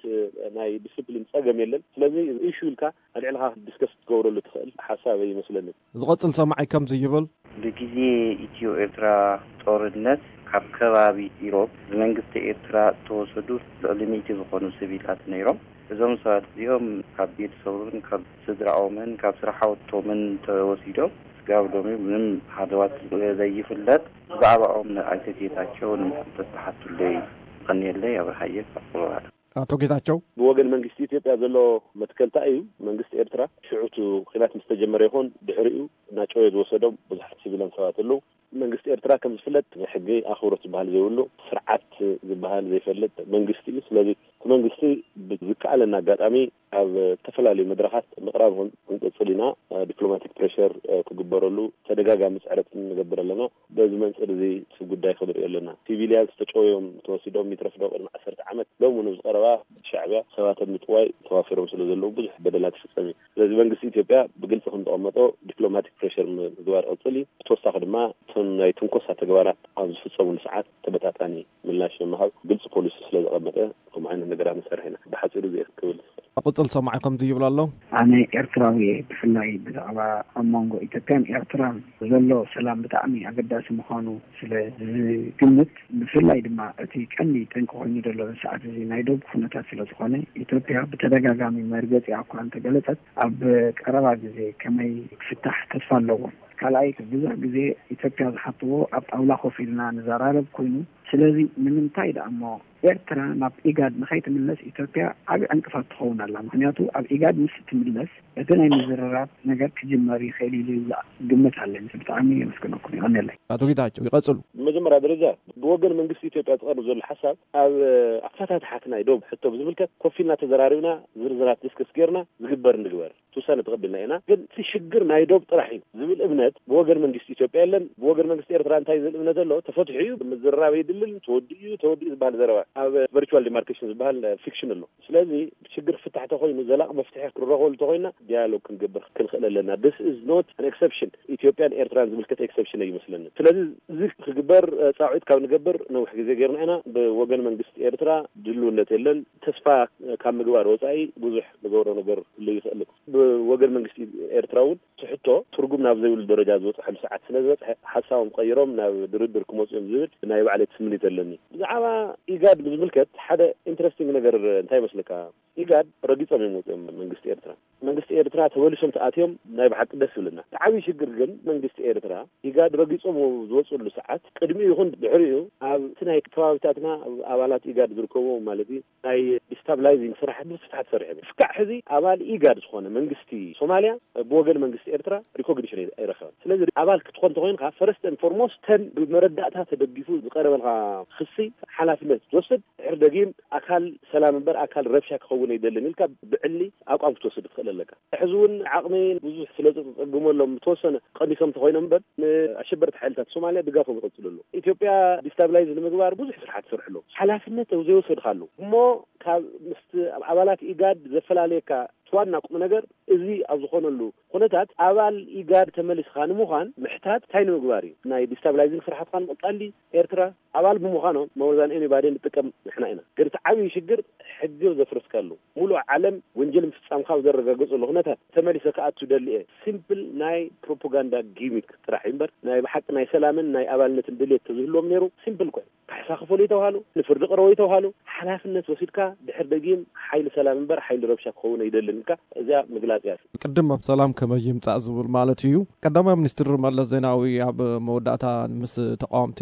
ናይ ዲስፕሊን ጸገም የለን። ስለዚ ኢሹ ኢልካ ኣልዒልካ ዲስከስ ክትገብረሉ ትኽእል ሓሳብ ኣይመስለንን። ዝቐጽል ሰማዒ ከምዚ ይብል። ብግዜ ኢትዮ ኤርትራ ጦርነት ካብ ከባቢ ኢሮብ ብመንግስቲ ኤርትራ ዝተወሰዱ ልዕሊ ሚእቲ ዝኾኑ ሲቪላት ነይሮም። እዞም ሰባት እዚኦም ካብ ቤተሰቦምን ካብ ስድራኦምን ካብ ስራሕ ቦቶምን ተወሲዶም ስጋብ ሎሚ ምንም ሃለዋት ዘይፍለጥ። ብዛዕባኦም ንኣይተ ጌታቸው ንምሕረት ተሓቱለይ። ቀኒየለይ ኣብርሃየ ካብ ኮሎራዶ። ኣቶ ጌታቸው። ብወገን መንግስቲ ኢትዮጵያ ዘሎ መትከልታ እዩ። መንግስቲ ኤርትራ ሽዑ እቲ ኲናት ምስ ተጀመረ ይኹን ድሕሪኡ እናጨወየ ዝወሰዶም ብዙሓት ሲቪላን ሰባት ኣለዉ። መንግስቲ ኤርትራ ከም ዝፍለጥ ናይ ሕጊ ኣኽብሮት ዝበሃል ዘይብሉ፣ ስርዓት ዝበሃል ዘይፈልጥ መንግስቲ እዩ። ስለዚ እቲ መንግስቲ ብዝከኣለና ኣጋጣሚ ኣብ ዝተፈላለዩ መድረኻት ምቕራብ ክን-፣ ክንቅጽል ኢና። ዲፕሎማቲክ ፕሬሸር ክግበረሉ ተደጋጋሚ ጽዕረት ንገብር ኣለና። በዚ መንጽር እዚ እቲ ጉዳይ ክንሪኦ ኣለና። ሲቪልያን ዝተጨወዮም ተወሲዶም ይትረፍ ዶ ቅድሚ ዓሰርተ ዓመት ሎም እውን ኣብ ዝቐረባ ሻዕብያ ሰባት ኣብ ምጥዋይ ተዋፊሮም ስለ ዘለዉ ብዙሕ በደላት ይፍጸም እዩ። ስለዚ መንግስቲ ኢትዮጵያ ብግልጺ ከም ዘቐመጦ ዲፕሎማቲክ ፕሬሸር ምግባር ይቕጽል እዩ። ብተወሳኺ ድማ እቶም ናይ ትንኮሳ ተግባራት ኣብ ዝፍጸሙሉ ሰዓት ተመጣጣኒ ምላሽ ንምሃብ ግልጺ ፖሊሲ ስለ ዘቐመጠ ከምኡ ዓይነት ነገራት ንሰርሕ ኢና። ብሓጺሩ እዚ ክብል ዝኽእል። ቅጽል ሰማዒ ከምዚ ይብል ኣሎ። ኣነ ኤርትራዊ እየ። ብፍላይ ብዛዕባ ኣብ መንጎ ኢትዮጵያን ኤርትራን ዘሎ ሰላም ብጣዕሚ ኣገዳሲ ምዃኑ ስለ ዝግምት፣ ብፍላይ ድማ እቲ ቀንዲ ጠንቂ ኮይኑ ዘሎ ሰዓት እዚ ናይ ዶብ ኩነታት ስለ ዝኾነ፣ ኢትዮጵያ ብተደጋጋሚ መርገጺኣ እኳ እንተገለጸት፣ ኣብ ቀረባ ግዜ ከመይ ክፍታሕ ተስፋ ኣለዎ። ካልኣይ፣ ብዙሕ ግዜ ኢትዮጵያ ዝሓትዎ ኣብ ጣውላ ኮፍ ኢልና ንዘራረብ ኮይኑ፣ ስለዚ ንምንታይ ደኣ እሞ ኤርትራ ናብ ኢጋድ ንኸይትምለስ ኢትዮጵያ ዓቢ ዕንቅፋት ትኸውን ኣላ። ምኽንያቱ ኣብ ኢጋድ ምስ ትምለስ እቲ ናይ ምዝርራብ ነገር ክጅመር ይኽእል ኢሉ ግምት ኣለኒ። ብጣዕሚ የመስግነኩም። ይቐንየለይ። ኣቶ ጌታቸው ይቐጽሉ። ብመጀመርያ ደረጃ ብወገን መንግስቲ ኢትዮጵያ ዝቐርብ ዘሎ ሓሳብ ኣብ ኣፈታትሓ ናይ ዶብ ሕቶ ብዝምልከት ኮፍ ኢልና ተዘራሪብና ዝርዝራት ዲስከስ ጌርና ዝግበር ንግበር። እቲ ውሳነ ተቐቢልና ኢና። ግን እቲ ሽግር ናይ ዶብ ጥራሕ እዩ ዝብል እምነት ብወገን መንግስቲ ኢትዮጵያ የለን። ብወገን መንግስቲ ኤርትራ እንታይ ዝብል እምነት ኣሎ? ተፈቲሑ እዩ፣ ምዝርራብ የድልን፣ ተወዲኡ እዩ፣ ተወዲኡ ዝበሃል ዘረባ ኣብ ቨርቹዋል ዲማርኬሽን ዝበሃል ፊክሽን ኣሎ። ስለዚ ሽግር ክፍታሕ ተኾይኑ፣ ዘላቂ መፍትሒ ክንረኸበሉ ተኾይና፣ ዲያሎግ ክንገብር ክንኽእል ኣለና። This is not an exception። ኢትዮጵያን ኤርትራን ዝምልከት ኤክሰፕሽን ኣይመስለንን። ስለዚ እዚ ክግበር እ፣ ጻውዒት ካብ ንገብር ነዊሕ ግዜ ጌርና ኢና። ብወገን መንግስቲ ኤርትራ ድልውነት የለን። ተስፋ ካብ ምግባር ወጻኢ ብዙሕ ንገብሮ ነገር ክህሉ ይኽእል። ወገን መንግስቲ ኤርትራ እውን ትሕቶ ትርጉም ናብ ዘይብሉ ደረጃ ዝበፅሐሉ ሰዓት ስለ ዝበፅሐ፣ ሓሳቦም ቀይሮም ናብ ድርድር ክመፁ እዮም ዝብል ናይ ባዕለይ ትስምኒት ኣለኒ። ብዛዕባ ኢጋድ ብዝምልከት ሓደ ኢንትረስቲንግ ነገር እንታይ ይመስለካ? ኢጋድ ረጊጾም እዮም ወፂኦም መንግስቲ ኤርትራ። መንግስቲ ኤርትራ ተመሊሶም ተኣትዮም ናይ ብሓቂ ደስ ይብልና። እቲ ዓብዪ ሽግር ግን መንግስቲ ኤርትራ ኢጋድ ረጊጾም ዝወፅሉ ሰዓት ቅድሚኡ ይኹን ድሕሪኡ ኣብ እቲ ናይ ከባቢታትና ኣብ ኣባላት ኢጋድ ዝርከቡ ማለት እዩ ናይ ዲስታብላይዚንግ ስራሕ ብስፍሓት ሰሪሖም እዮም። እስካዕ ሕዚ ኣባል ኢጋድ ዝኾነ መንግስቲ ሶማልያ ብወገን መንግስቲ ኤርትራ ሪኮግኒሽን ኣይረኸበን። ስለዚ ኣባል ክትኾን ተኮይንካ ፈረስት ን ፎርሞስት ተን ብመረዳእታ ተደጊፉ ዝቀረበልካ ክሲ ሓላፍነት ትወስድ። ድሕር ደጊም ኣካል ሰላም እምበር ኣካል ረብሻ ክኸውን ኣይደልን ኢልካ ብዕሊ ኣቋም ክትወስድ ትኽእል ኣለካ። ሕዚ እውን ዓቕሚ ብዙሕ ስለ ዝፀግመሎም ብተወሰነ ቀኒሶም ተኮይኖም እምበር ንኣሸበርቲ ሓይልታት ሶማልያ ድጋፎም ይቐፅሉ ኣለዉ። ኢትዮጵያ ዲስታብላይዝ ንምግባር ብዙሕ ስራሕ ትሰርሕ ኣለዉ። ሓላፍነት ዘይወሰድካ ኣለዉ እሞ ካብ ምስቲ ኣብ ኣባላት ኢጋድ ዘፈላለየካ እቲ ዋና ቁም ነገር እዚ ኣብ ዝኾነሉ ኩነታት ኣባል ኢጋድ ተመሊስካ ንምዃን ምሕታት እንታይ ንምግባር እዩ? ናይ ዲስታብላይዚንግ ስራሕትካ ንምቕጻል ድዩ? ኤርትራ ኣባል ብምዃኖም መወዛን ኤኒባዲ ንጥቀም ንሕና ኢና። ግን እቲ ዓብዪ ሽግር ሕጊ ዘፍረስካሉ፣ ሙሉእ ዓለም ወንጀል ምፍጻምካ ኣብ ዘረጋገጸሉ ኩነታት ተመሊሰ ክኣቱ ደሊ እየ። ሲምፕል ናይ ፕሮፓጋንዳ ጊሚክ ጥራሕ እዩ እምበር ናይ ብሓቂ ናይ ሰላምን ናይ ኣባልነትን ድሌት ተዝህልዎም ነይሩ ሲምፕል ኮይ ካሕሳ ክፈሉ ይተባሃሉ፣ ንፍርዲ ቅረቡ ይተባሃሉ፣ ሓላፍነት ወሲድካ ድሕር ደጊም ሓይሊ ሰላም እምበር ሓይሊ ረብሻ ክኸውን ኣይደልን ኢልካ እዚኣ ምግላጽ እያ። ቅድም ኣብ ሰላም ከመይ ይምጻእ ዝብል ማለት እዩ። ቀዳማይ ሚኒስትር መለስ ዜናዊ ኣብ መወዳእታ ምስ ተቃወምቲ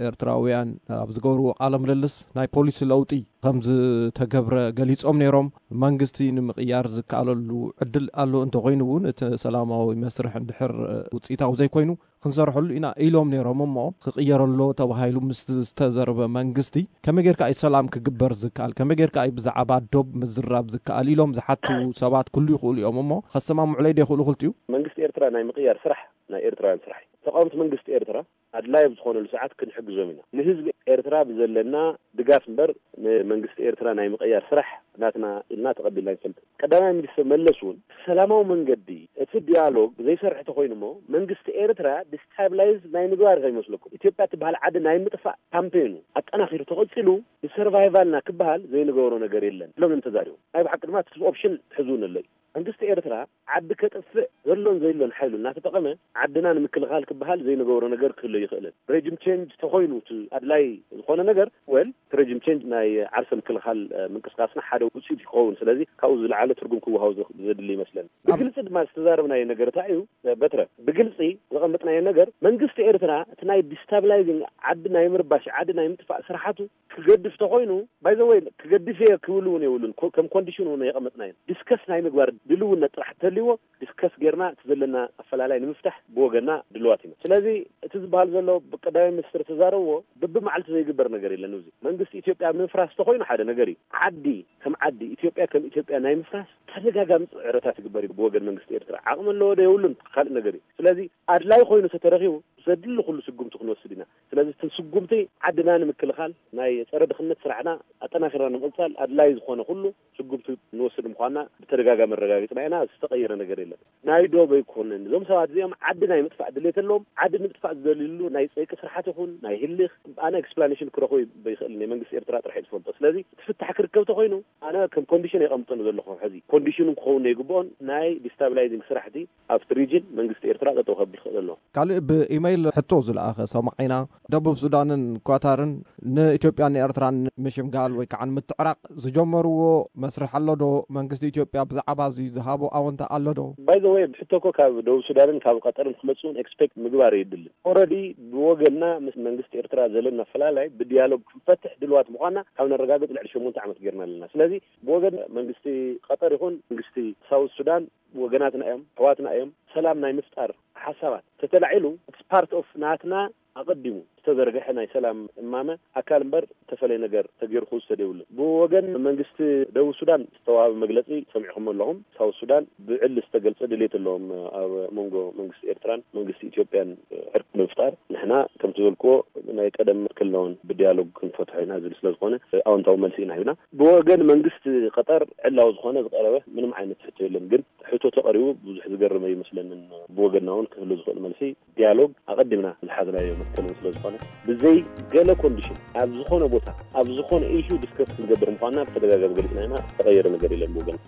ኤርትራውያን ኣብ ዝገብርዎ ቃለ ምልልስ ናይ ፖሊሲ ለውጢ ከም ዝተገብረ ገሊጾም ነይሮም። መንግስቲ ንምቕያር ዝከኣለሉ ዕድል ኣሎ እንተኾይኑ እውን እቲ ሰላማዊ መስርሕ እንድሕር ውፅኢታዊ ዘይኮይኑ ክንሰርሐሉ ኢና ኢሎም ነይሮም እሞ ክቕየረሎ ተባሂሉ ምስ ዝተዘርበ መንግስቲ ከመይ ጌርካ እዩ ሰላም ክግበር ዝከኣል? ከመይ ጌርካ እዩ ብዛዕባ ዶብ ምዝራብ ዝከኣል? ኢሎም ዝሓቱ ሰባት ክህሉ ይኽእሉ እዮም እሞ ከሰማምዑለይ ዶ ይኽእሉ ክልቲኡ? መንግስቲ ኤርትራ ናይ ምቕያር ስራሕ ናይ ኤርትራውያን ስራሕ እዩ። ተቃወምቲ መንግስቲ ኤርትራ ኣድላይ ኣብ ዝኾነሉ ሰዓት ክንሕግዞም ኢና። ንህዝቢ ኤርትራ ብዘለና ድጋፍ እምበር ንመንግስቲ ኤርትራ ናይ ምቕያር ስራሕ ናትና ኢልና ተቐቢልና ኣይንፈልጥን። ቀዳማይ ሚኒስትር መለስ እውን ብሰላማዊ መንገዲ እቲ ዲያሎግ ዘይሰርሕ ተኾይኑ እሞ መንግስቲ ኤርትራ ዲስታብላይዝ ናይ ምግባር ከይመስለኩም። ኢትዮጵያ ትበሃል ዓዲ ናይ ምጥፋእ ካምፔኑ ኣጠናኺሩ ተቐፂሉ ንሰርቫይቫልና ክበሃል ዘይንገብሮ ነገር የለን ኢሎም እዮም ተዛሪቦም። ናይ ብሓቂ ድማ እቲ ኦፕሽን ሕዚ እውን ኣሎ እዩ። መንግስቲ ኤርትራ ዓዲ ከጥፍእ ዘሎን ዘይሎን ሓይሉ እናተጠቐመ ዓድና ንምክልኻል ክበሃል ዘይንገብሮ ነገር ክህሎ ይኽእልን። ሬጅም ቼንጅ ተኾይኑ እቲ ኣድላይ ዝኾነ ነገር ወል እቲ ሬጅም ቼንጅ ናይ ዓርሰ ምክልኻል እ፣ ምንቅስቃስና ሓደ ውፅኢት ይኸውን። ስለዚ ካብኡ ዝለዓለ ትርጉም ክወሃቡ ዘ- ዘድሊ ይመስለኒ። ኣብ- ብግልፂ ድማ ዝተዛረብናዮ ነገር እንታይ እዩ? እ፣ በትረ ብግልፂ ዘቐመጥናዮ ነገር መንግስቲ ኤርትራ እቲ ናይ ዲስታብላይዚንግ ዓዲ ናይ ምርባሽ ዓዲ ናይ ምጥፋእ ስራሓቱ ክገድፍ ተኾይኑ ባይ ዘ ወይ ክገድፍ እየ ክብል እውን የብሉን። ኮ- ከም ኮንዲሽን እውን የቐመጥናዮ ዲስከስ ናይ ምግባር ድልውነት ጥራሕ እንተልይዎ ዲስከስ ጌርና እቲ ዘለና ኣፈላላይ ንምፍታሕ ብወገና ድልዋት ኢና። ስለዚ እቲ ዝበሃል ዘሎ ብቀዳማይ ሚኒስትር ተዛረብዎ በብመዓልቲ ዘይግበር ነገር የለን። እዚ መንግስቲ ኢትዮጵያ ምፍራስ ተኮይኑ ሓደ ነገር እዩ። ዓዲ ከም ዓዲ ኢትዮጵያ ከም ኢትዮጵያ ናይ ምፍራስ ተደጋጋሚ ፅዕረታት ይግበር እዩ ብወገን መንግስቲ ኤርትራ። ዓቕሚ ኣለዎ ዶ የብሉን ካልእ ነገር እዩ። ስለዚ ኣድላይ ኮይኑ ተተረኺቡ ዘድሊ ኩሉ ስጉምቲ ክንወስድ ኢና። ስለዚ እቲ ስጉምቲ ዓድና ንምክልኻል ናይ ፀረ ድኽነት ስራሕና ኣጠናኺርና ንምቕፃል ኣድላይ ዝኾነ ኩሉ ስጉምቲ ንወስድ ምዃንና ብተደጋጋሚ ኣረጋጊፅና ኢና። ዝተቐየረ ነገር የለን። ናይ ዶብ ኣይኮነን። እዞም ሰባት እዚኦም ዓዲ ናይ ምጥፋእ ድሌት ኣለዎም። ዓዲ ንምጥፋእ ዝደልይሉ ናይ ፀይቂ ስራሓት ይኹን ናይ ህልኽ ኣነ ኤክስፕላኔሽን ክረኽቦ ይኽእል ናይ መንግስቲ ኤርትራ ጥራሕ እዩ ዝፈልጦ። ስለዚ እቲ ፍታሕ ክርከብ ተኮይኑ ኣነ ከም ኮንዲሽን የቐምጠሉ ዘለኹ። ሕዚ ኮንዲሽኑ ክኸውን ይግብኦን ናይ ዲስታብላይዚንግ ስራሕቲ ኣብቲ ሪጅን መንግስቲ ኤርትራ ጠጠው ከብል ክኽእል ኣለዎ። ካልእ ብኢመይል ሕቶ ዝለኣኸ ሰማዒና፣ ደቡብ ሱዳንን ኳታርን ንኢትዮጵያን ንኤርትራን ምሽምጋል ወይ ከዓ ንምትዕራቕ ዝጀመርዎ መስርሕ ኣሎ ዶ? መንግስቲ ኢትዮጵያ ብዛዕባ እዚ ዝሃቦ ኣወንታ ኣሎ ዶ? ባይ ዘ ወይ ሕቶ እኮ ካብ ደቡብ ሱዳንን ካብ ቀጠርን ክመፅኡን ኤክስፔክት ምግባር የድልን። ኦረዲ ብወገንና ምስ መንግስቲ ኤርትራ ዘለና ፈላላይ ብዲያሎግ ክንፈትሕ ድልዋት ምዃንና ካብ ነረጋግፅ ልዕሊ ሸሞንተ ዓመት ጌርና ኣለና። ስለዚ ብወገን መንግስቲ ቀጠር ይኹን መንግስቲ ሳውት ሱዳን ወገናትና እዮም፣ ኣሕዋትና እዮም። ሰላም ናይ ምፍጣር ሓሳባት ተተላዒሉ it's part of ናትና ኣቐዲሙ ዝተዘርግሐ ናይ ሰላም እማመ ኣካል እምበር ዝተፈለየ ነገር ተገይሩ ክውሰድ የብሉን። ብወገን መንግስቲ ደቡብ ሱዳን ዝተዋሃበ መግለፂ ሰሚዕኹም ኣለኹም። ሳውት ሱዳን ብዕሊ ዝተገልፀ ድሌት ኣለዎም ኣብ መንጎ መንግስቲ ኤርትራን መንግስቲ ኢትዮጵያን ዕርቂ ንምፍጣር። ንሕና ከምቲ ዝበልክዎ ናይ ቀደም ክልናውን ብዲያሎግ ክንፈትሖ ኢና ዝብል ስለ ዝኾነ ኣወንታዊ መልሲ ኢና ሂብና። ብወገን መንግስቲ ቀጠር ዕላዊ ዝኾነ ዝቀረበ ምንም ዓይነት ሕቶ የለን። ግን ሕቶ ተቐሪቡ ብዙሕ ዝገርም ኣይመስለንን። ብወገንና እውን ክህሉ ዝኽእል መልሲ ዲያሎግ ኣቐዲምና ዝሓዝናዮ መትከልን ስለ ዝኾነ ብዘይ ገለ ኮንዲሽን ኣብ ዝኾነ ቦታ ኣብ ዝኾነ ኢሹ ዲስከስ ክንገብር ምዃንና ብተደጋጋሚ ገሊፅና ኢና። ዝተቐየረ ነገር የለን ብወገን።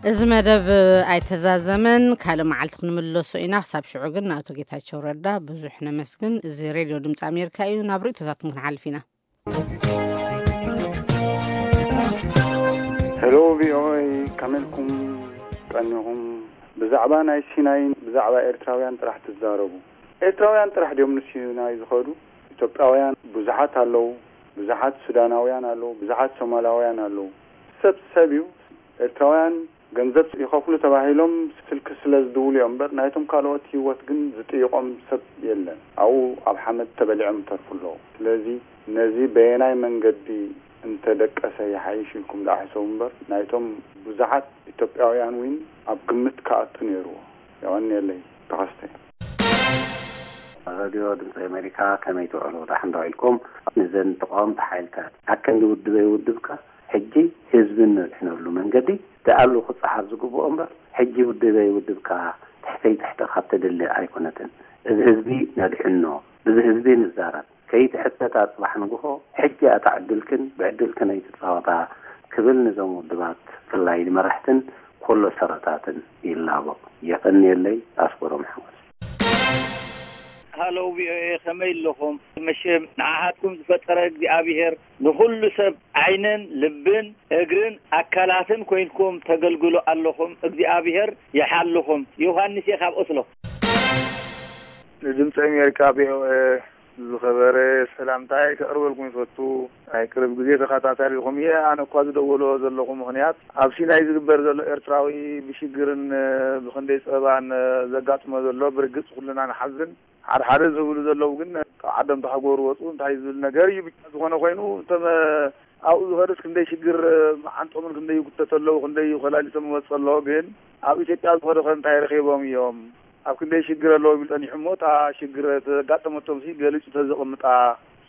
እዚ መደብ ኣይተዛዘመን፣ ካልእ መዓልቲ ክንምለሶ ኢና። ክሳብ ሽዑ ግን ንኣቶ ጌታቸው ረዳ ብዙሕ ነመስግን። እዚ ሬድዮ ድምፂ ኣሜሪካ እዩ። ናብ ርእይቶታትኩም ክንሓልፍ ኢና። ሄሎ ቪኦኤ፣ ከመይ ኢልኩም ቀኒኹም? ብዛዕባ ናይ ሲናይን ብዛዕባ ኤርትራውያን ጥራሕ ትዛረቡ። ኤርትራውያን ጥራሕ ድዮም ንሲናይ ዝኸዱ? ኢትዮጵያውያን ብዙሓት ኣለዉ፣ ብዙሓት ሱዳናውያን ኣለዉ፣ ብዙሓት ሶማላውያን ኣለዉ። ሰብ ሰብ እዩ። ኤርትራውያን ገንዘብ ይኸፍሉ ተባሂሎም ስልኪ ስለ ዝድውሉ እዮም እምበር ናይቶም ካልኦት ህይወት ግን ዝጥይቖም ሰብ የለን። ኣብኡ ኣብ ሓመድ ተበሊዖም ይተርፉ ኣለዉ። ስለዚ ነዚ በየናይ መንገዲ እንተደቀሰ ይሓይሽ ኢልኩም ደኣ ሕሰቡ እምበር ናይቶም ብዙሓት ኢትዮጵያውያን እውን ኣብ ግምት ክኣቱ ነይርዎ። የቐንየለይ። ተኸስተ። ረድዮ ድምፂ ኣሜሪካ ከመይ ትውዕሉ? ዳሕን ዶ ኢልኩም? ንዘን ተቃወምቲ ሓይልታት ኣከንዲ ውድበይ ውድብካ ሕጂ ህዝቢ ነድሕነሉ መንገዲ ደኣሉ ክፀሓፍ ዝግብኦ እምበር ሕጂ ውድበይ ውድብካ ትሕተይ ትሕተ ካብ ተደሊ ኣይኮነትን። እዚ ህዝቢ ነድሕኖ፣ እዚ ህዝቢ ንዛረብ፣ ከይትሕተታ ፅባሕ ንግሆ ሕጂ ኣታ ዕድልክን ብዕድልክን ኣይትፃወታ ክብል ንዞም ውድባት ብፍላይ ንመራሕትን ኮሎ ሰረታትን ይላቦ። የቐንየለይ። ኣስበሮም ሓጎስ። ሃሎ ቪኦኤ ከመይ ኣለኹም? መሸም ንዓኻትኩም ዝፈጠረ እግዚኣብሄር ንኹሉ ሰብ ዓይንን ልብን እግርን ኣካላትን ኮይንኩም ተገልግሉ ኣለኹም። እግዚኣብሄር ይሓልኹም። ዮሃንስ እየ ካብ ኦስሎ። ንድምፂ ኣሜሪካ ቪኦኤ ዝኸበረ ሰላምታይ ከቕርበልኩም ይፈቱ። ናይ ቅርብ ግዜ ተኸታታሊኹም እየ። ኣነ እኳ ዝደወሎ ዘለኹ ምኽንያት ኣብ ሲናይ ዝግበር ዘሎ ኤርትራዊ ብሽግርን ብክንደይ ፀበባን ዘጋጥሞ ዘሎ ብርግፅ ኩልና ንሓዝን። ሓድሓደ ዝብሉ ዘለዉ ግን ካብ ዓዶም ተሃገሩ ወፁ እንታይ ዝብል ነገር እዩ ብቻ ዝኾነ ኮይኑ እቶም ኣብኡ ዝኸደስ ክንደይ ሽግር መዓንጦምን ክንደይ ይጉተት ኣለዉ ክንደይ ኮላሊቶም ይወፅ ኣለዎ ግን ኣብ ኢትዮጵያ ዝኾነ ከ እንታይ ረኺቦም እዮም ኣብ ክንደይ ሽግር ኣለዎ ቢሉ ጸኒሑ እሞ እታ ሽግር ተጋጠመቶም ሲ ገሊጹ ተዘቕምጣ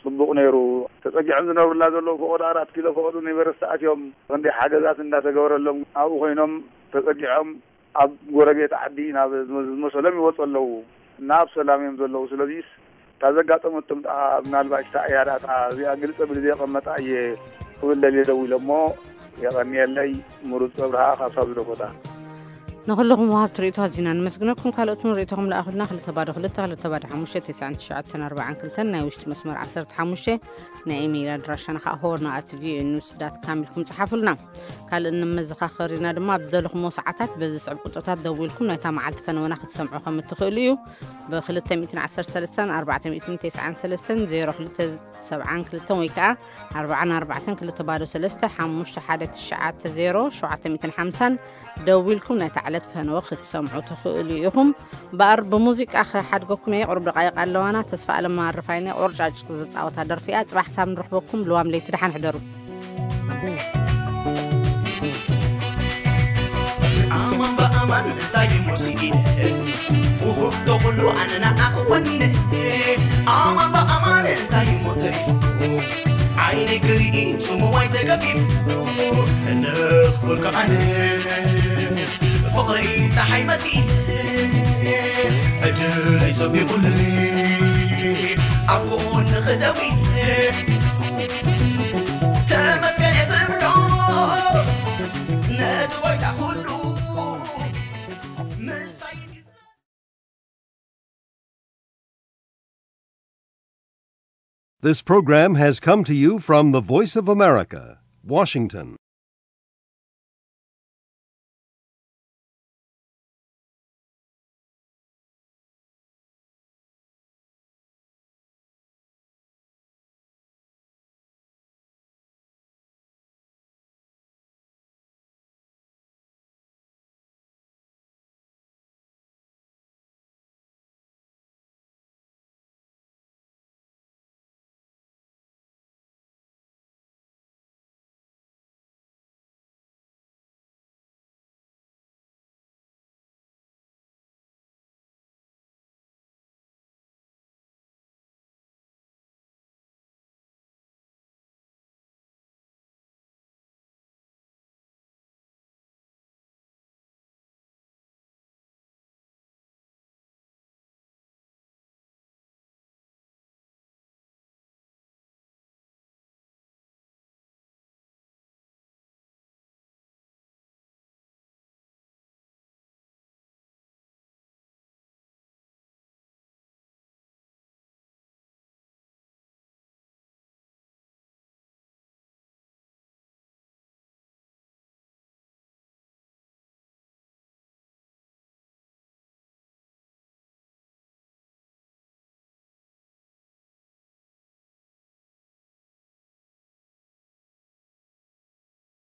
ጽቡቕ ነይሩ። ተጸጊዖም ዝነብሩላ ዘለዉ ፈቐዶ ኣራት ኪሎ ፈቐዶ ዩኒቨርስቲ ኣትዮም ክንደይ ሓገዛት እንዳተገበረሎም ኣብኡ ኮይኖም ተጸጊዖም ኣብ ጎረቤት ዓዲ ናብ ዝመ- ዝመሰሎም ይወጹ ኣለዉ እና ኣብ ሰላም እዮም ዘለዉ። ስለዚስ እታ ዘጋጠመቶም ደኣ ምናልባሽ እታ እያ ደኣ እታ እዚኣ ግልጽ ኣቢሉ ዘየቐመጣ እየ ክብል ደልየ ደዊለ እሞ የቐንየለይ። ምሩጽ ኣብርሃ ካብ ሳውዲ ዳኮታ። ንኹልኹም ወሃብቲ ርእይቶ ኣዚና ንመስግነኩም። ካልኦት እውን ርእይቶኹም ለኣኹልና። ክልተ ባዶ ክልተ፣ ክልተ ባዶ ሓሙሽተ፣ ተስዓን ትሽዓተን ኣርባዓን ክልተን ናይ ውሽጢ መስመር ዓሰርተ ሓሙሽተ ናይ ኢሜይል ኣድራሻና ከዓ ሆርና ኣት ቪኦኤ ኒውስ ዳት ካም ኢልኩም ጸሓፉልና። ካልእ እንመዘኻኸር ኢና ድማ ኣብ ዝደለኹሞ ሰዓታት በዚ ዝስዕብ ቁጽርታት ደዊልኩም ናይታ መዓልቲ ፈነወና ክትሰምዑ ከም እትኽእሉ እዩ። ብ213 493 02 ሰብዓን ክልተን ወይ ከዓ ኣርባዓን ኣርባዕተን ክልተ ባዶ ሰለስተ ሓሙሽተ ሓደ ትሽዓተ ዜሮ ሸውዓተ ሚእትን ሓምሳን ደዊልኩም ናይታ ዕለት ፈነወ ክትሰምዑ ትኽእሉ ኢኹም። እምበኣር ብሙዚቃ ክሓድገኩም እየ። ቁሩብ ደቃይቕ ኣለዋና። ተስፋ ኣለም ኣረፋይነ ቆርጫጭ ዝፃወታ ደርፊ እያ። ፅባሕ ሳብ ንረኽበኩም። ልዋም ለይቲ ደሓን ሕደሩ። ኣማን ብኣማን እንታይ እሞ ስኢነ ውህብቶ ኩሉ ኣነ ንዓኺ ወኒነ ኣማን ብኣማን እንታይ እሞ ተሪፉ ዓይነይ ክርኢ ስሙዋይ ተገፊፉ እንኹልካ ኣነ ፍቕሪ ፀሓይ መሲለ ዕድለይ ሰቢቑለይ ኣብ ጎንኺ ደው ኢለ ተመስገን እየ ዝብሎ ነቲ ጎይታ ኩሉ ምሳይ This program has come to you from the Voice of America, Washington.